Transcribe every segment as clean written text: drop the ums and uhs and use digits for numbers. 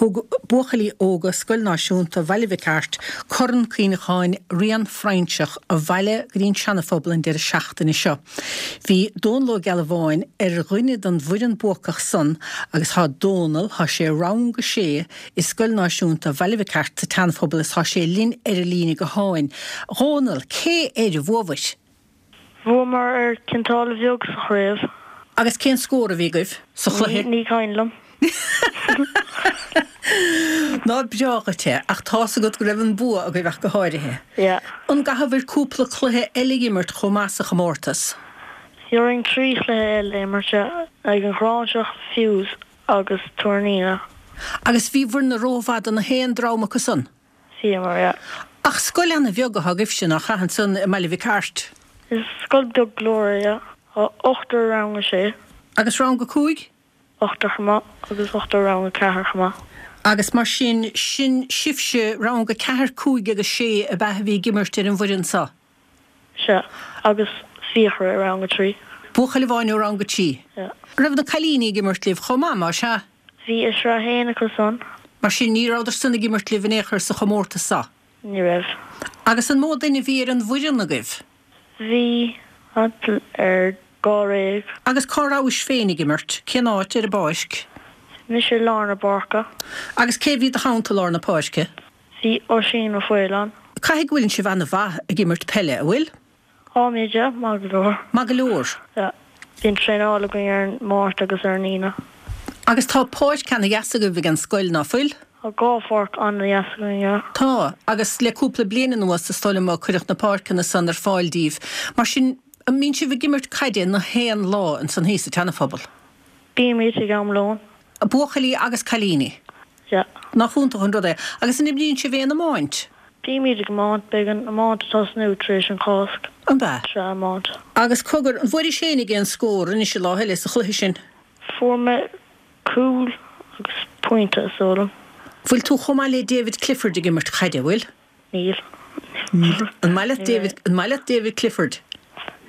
Thug buachaillí óga Scoil Náisiúnta Bhaile Mhic Airt Corn Cuimhneacháin Rian Frainseach abhaile go dtí an Seanaphobal an deireadh seachtaine seo. Bhí Dónal Ó Gealbháin ar dhuine den bhfoireann buacach san agus thá Dónal, thá sé i rang a sé i Scoil Náisiúnta Bhaile Mhic Airt sa tSeanaphobal is thá sé linn ar an líne gutháin. A Dhónaill, cé air a bhuabhair? Bhuamar ar Cionn tSáile Bheag sa chraobh. Agus cén scór a bhí agaibh sa chluiche? Ní cuimhin liom. Nár breá dhuit é, ach tá's agat go raibh an bua agaibh ach go háirithe. Yeah. An gcaithfear cúpla cluiche eile a imirt chomh maith sa chomórtas? Bhí orainn 3 chluiche eile a imirt, yeah, ag an Ghráinseach, Fews agus Tuar na Aoine. Agus bhíobhair-ne rómhaith do na haon dream acu san? Bhíomar, yeah. Ach scoil ana-bheag atá agaibhse, nach ea, ansan i mBaile Mhic Airt? Is scoil beag go leor é, yeah. Tá ochtar i rang a sé. Agus rang a cúig? Ochtar chomh maith, agus ochtar i rang a ceathair chomh maith. Agus mar sin, sin sibhse, rang a ceathair, cúig agus sé ab ea a bhí ag imirt ar an bhfoireann so? Sea, agus Fiachra i rang a trí. Buachaill amháin ó rang a trí? Yeah. Raibh na cailíní ag imirt libh chomh maith, más ea? Bhí i sraith a haon acu san. Mar sin, ní rabhadar san ag imirt libh in aon chor sa chomórtas so? Ní raibh. Agus an mó duine a bhí ar an bhfoireann agaibh? Bhí thart ar dháréag. Agus cá rabhais féin ag imirt? Cén áit ar an bpáirc? Mise i lár na páirce. Agus cé bhí i do theannta i lár na páirce? Bhí Oisín Ó Faoláin. Caithfidh go bhfuileann sibh ana-mhaith ag imirt peile, a' bhfuil? Táimid, yeah, maith go leor. Maith go leor? Yeah. Bíonn traenáil againn ar an Máirt agus ar an Aoine. Agus tá páirc ana-dheas agaibh ag an scoil, ná fuil? Tá dhá pháirc ana-dheas againn, yeah. Tá, agus le cúpla bliain anuas is dóigh liom a cuireadh na páirceanna san ar fáil díbh. Mar sin, an mbíonn sibh ag imirt caide na haon lá ansan thíos sa tSeanaphobal? Bímid ag am lóin. Buachaillí agus cailíní? Yeah. Nach iontach an rud é. Agus an imríonn sibh aon iomáint? Bímid ag iomáint. Beidh an iomáint ag tosnú tar éis an Cháisc. An bea? Sraith iomáint. Agus cogar, an bhfuairis fhéinig aon scór anois an lá eile sa chluiche sin? Fuair mé cúl agus pointe is dóigh liom. Bhfuil tú chomh maith le David Clifford ag imirt caide, bhfuil? Níl. An maith leat David, an maith leat David Clifford?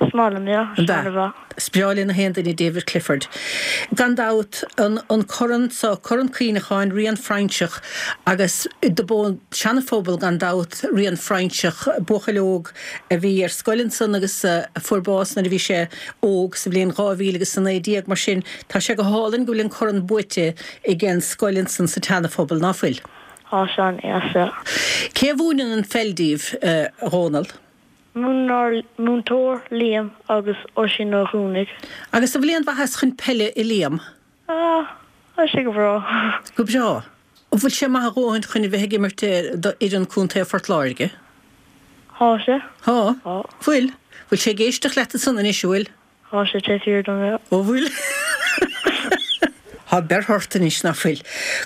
Is maith liom, yeah. An bea? Is breá le na haon duine David Clifford. Gan dabht, an, an corn so, Corn Cuimhneacháin Rian Frainseach agus do b'ón Seanaphobal gan dabht Rian Frainseach, buachaill óg a bhí ar scoil ansan agus a fuair bás nuair a bhí sé óg sa bhliain 2019. Mar sin, tá sé go hálainn go bhfuil an corn buaite ag an scoil ansan sa tSeanaphobal, ná fuil? Tá sé an-deas, yeah. Cé a mhúineann an pheil díbh, a Dhónaill? Múineann ár múinteoir, Liam, agus Oisín Ó Cuanaigh. Agus an bhfuil aon mhaitheas chun peile i Liam? Ah, tá sé go breá. Go breá. An bhfuil sé maith a dhóthain chun a bheith ag imirt do fhoireann Contae Phort Láirge? Thá sé. Thá? Thá. Bhfuil? Bhfuil sé ag éisteacht leat ansan anois, an bhfuil? Thá sé taobh thiar dom, yeah. Ó bhfuil? Thá berth ort anois, ná fuil?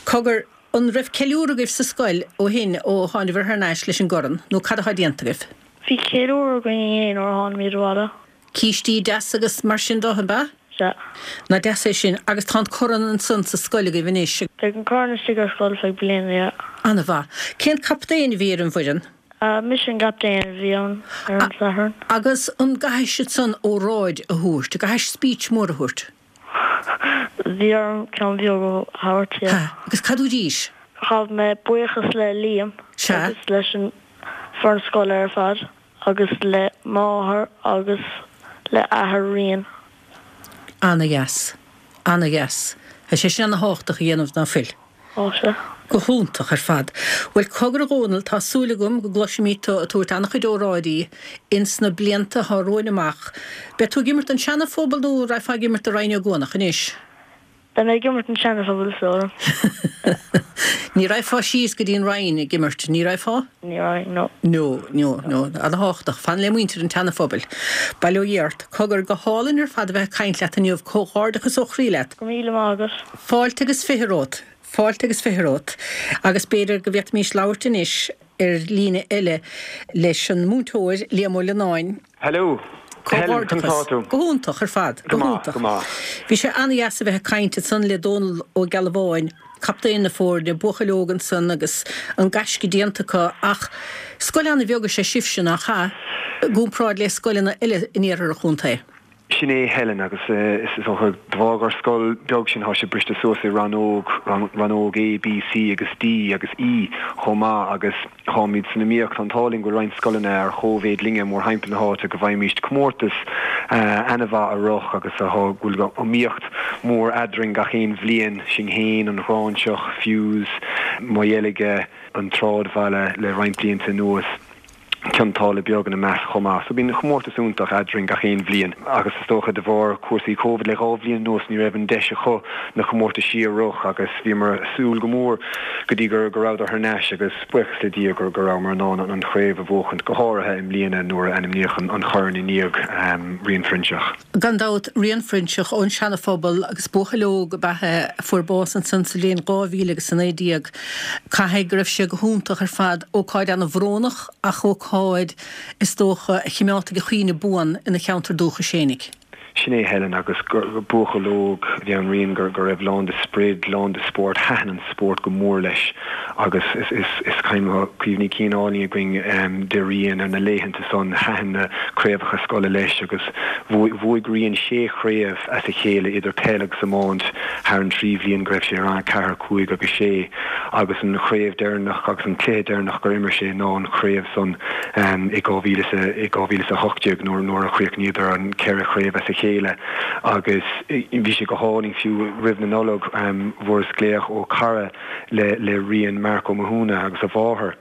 Cogar, an raibh ceiliúradh agaibh sa scoil ó shin, ó thánabhair thar n-ais leis an gcorn, nó cad athá déanta agaibh? Bhí ceiliúradh againn inné nuair a tháinimid abhaile. Cístí deasa agus mar sin do, an b'ea? Sea. Nach deas é sin. Agus tá an corn ansan sa scoil agaibh anois. Beidh an corn istigh ar scoil feadh bliana, yeah. Ana-mhaith. Cén captaen a bhí ar an bhfoireann? Mise an gcaptaen a bhí ann ar an Satharn. Agus an gcaithfidh siad san óráid a thabhairt, an gcaithfidh speech mór a thabhairt? Bhí orm ceann beag a thabhairt, yeah. Ha, agus cad dúraís? Ghabh mé buíochas le Liam Sea. agus leis an foireann scoile ar fad agus le máthair agus le athair Rian. Ana-dheas. Ana-dheas. Tá sé sin ana-thábhachtach a dhéanamh, ná fuil? Tá sé. Go hiontach ar fad. Bhuel, cogar a Dhónaill, tá súil agam go gcloisfimid tú ag tabhairt an-chuid óráidí ins na blianta atá romhainn amach. Beidh tú ag imirt don Seana-Phobal nó an raghfá ag imirt do Rinn Ó gCuanach anois? Beidh mé ag imirt don Seana-Phobal is dóigh liom. Ní raghfá síos go dtí an Rinn ag imirt, ní raghfá? Ní raghainn, no. No, no, no. Ana-thábhachtach. Fan le muintir an tSeana-Phobail. Bail ó Dhia ort. Cogar, go hálainn ar fad a bheith ag caint leat inniu. Comhghairdeachas ó chroí leat. Go raibh míle maith agat. Fáilte agus fiche romhat. Fáilte agus fiche romhat. Agus b'fhéidir go bhféadfaimis labhairt anois ar líne eile leis an múinteoir, Liam Ó Lionáin. Hello. Helen, conas tá tú? Go hiontach ar fad. Go maith, go maith. Bhí sé an-dheas a bheith ag caint ansan le Dónal Ó Gealbháin, captaen na foirne, buachaill óg ansan agus an gaisce déanta acu ach scoil an-bheag is ea sibhse, nach ea, i gcomparáid le scoileanna eile in iarthar an chontae? Sin é Helen agus is dócha de bharr gur scoil beag sinn tá sé briste suas i rannóg, rannóg A, B, C agus D agus E chomh maith agus táimid san iomaíocht, tá an t-ádh linn go bhfuil roinnt scoileanna ar chóimhéid linne mórthimpeall na háite go bhfaighimíst comórtas ana-mhaith a rith agus tá go bhfuil iomaíocht mhór eadrainn gach aon bhliain, sinn fhéin, an Ghráinseach, Fews, Maigh Dheilge, an tSráidbhaile le roinnt blianta anuas. Cionn tSáile Beag ina measc chomh maith. So bíonn comórtas iontach eadrainn gach aon bhliain agus is dócha de bharr cúrsaí Covid le 2 bhliain anuas ní raibh an deis acu na comórtaisí a rith agus bhíomar ag súil go mór go dtí go go rabhadar thar n-ais agus buíochas le Dia go go rabhamar in ann an chraobh a bhuachaint go háirithe i mbliana nuair a ainmníodh an chorn i ndiaidh Rian Phroinsiach. Gan dabht, Rian Phroinsiach ón Seana Phobal agus buachaill óg ab ea é a fuair bás ansan sa bhliain 2019. Caithfidh go raibh sé go hiontach ar fad, ócáid ana-bhrónach ach ócáid, is dócha, a chimeádfaidh a chuimhne buan ina cheantar dúchais fhéinig. Sin é Helen agus buachaill óg a bhí ann Rian go raibh lán de sprid, lán de spórt, thaitin an spórt go mór leis agus is cuimhní cinn álainn againn de Rian ar na laethanta san, thaitin na craobhacha scoile leis agus bhuaigh Rian sé chraobh as a chéile idir peil agus iomáint thar an trí bhliain go raibh sé i rang 4, 5 agus 6 agus an chraobh deireanach agus an cluiche deireanach gur imir sé ná an chraobh san i 2018 nuair a chríochnaíodar an ceithre chraobh as a chéile agus bhí sé go hálainn fiú roimh na Nollag bhfuaireas glaoch ó cara le le Rian Mark Ó Mathúna agus a mháthair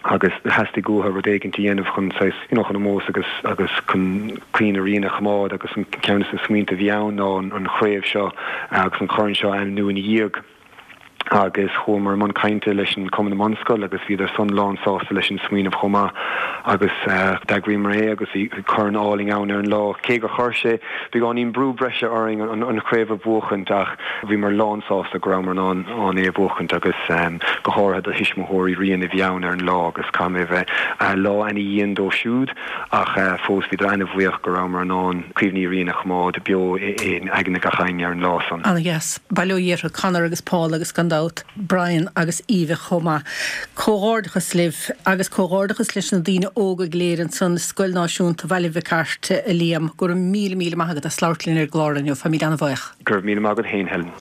agus theastaigh uathu rud éigint a dhéanamh chun saghas you know chun ómós agus agus chun cuimhne Rian a choimeád agus an ceann de na smaointe a bhí ann ná an chraobh seo agus an corn seo a ainmniú ina dhiaidh. Agus chuamar i mbun cainte leis an Cumann na mBunscol agus bhíodar san lán sásta leis an smaoineamh chomh maith agus d'eagraíomar é agus bhí corn álainn ann ar an lá. Cé gur chuir sé beagáinín brú breise orainn an chraobh a bhuachaint ach bhíomar lán sásta go rabhamar in ann ann é a bhuachaint agus go háirithe do thuismitheoirí Rian a bhí ann ar an lá agus caithfidh mé a bheith lá ana-dhian dóibh siúd ach fós bhíodar ana-bhuíoch go rabhamar in ann cuimhní Rian a choimeád beo in aigne gach éinne ar an lá san. Ana-dheas. Bail ó Dhia orthu, Conor agus Paul agus gan dabht Brian agus Aoibhe chomh maith. Comhghairdeachas libh agus comhghairdeachas leis na daoine óga go léir ansan i Scoil Náisiúnta Bhaile Mhic Airt, a Liam. Go raibh míle míle maith agat as labhairt linn ar an gclár inniu. Táimid ana-bhuíoch. Go raibh míle maith agat féin, Helen.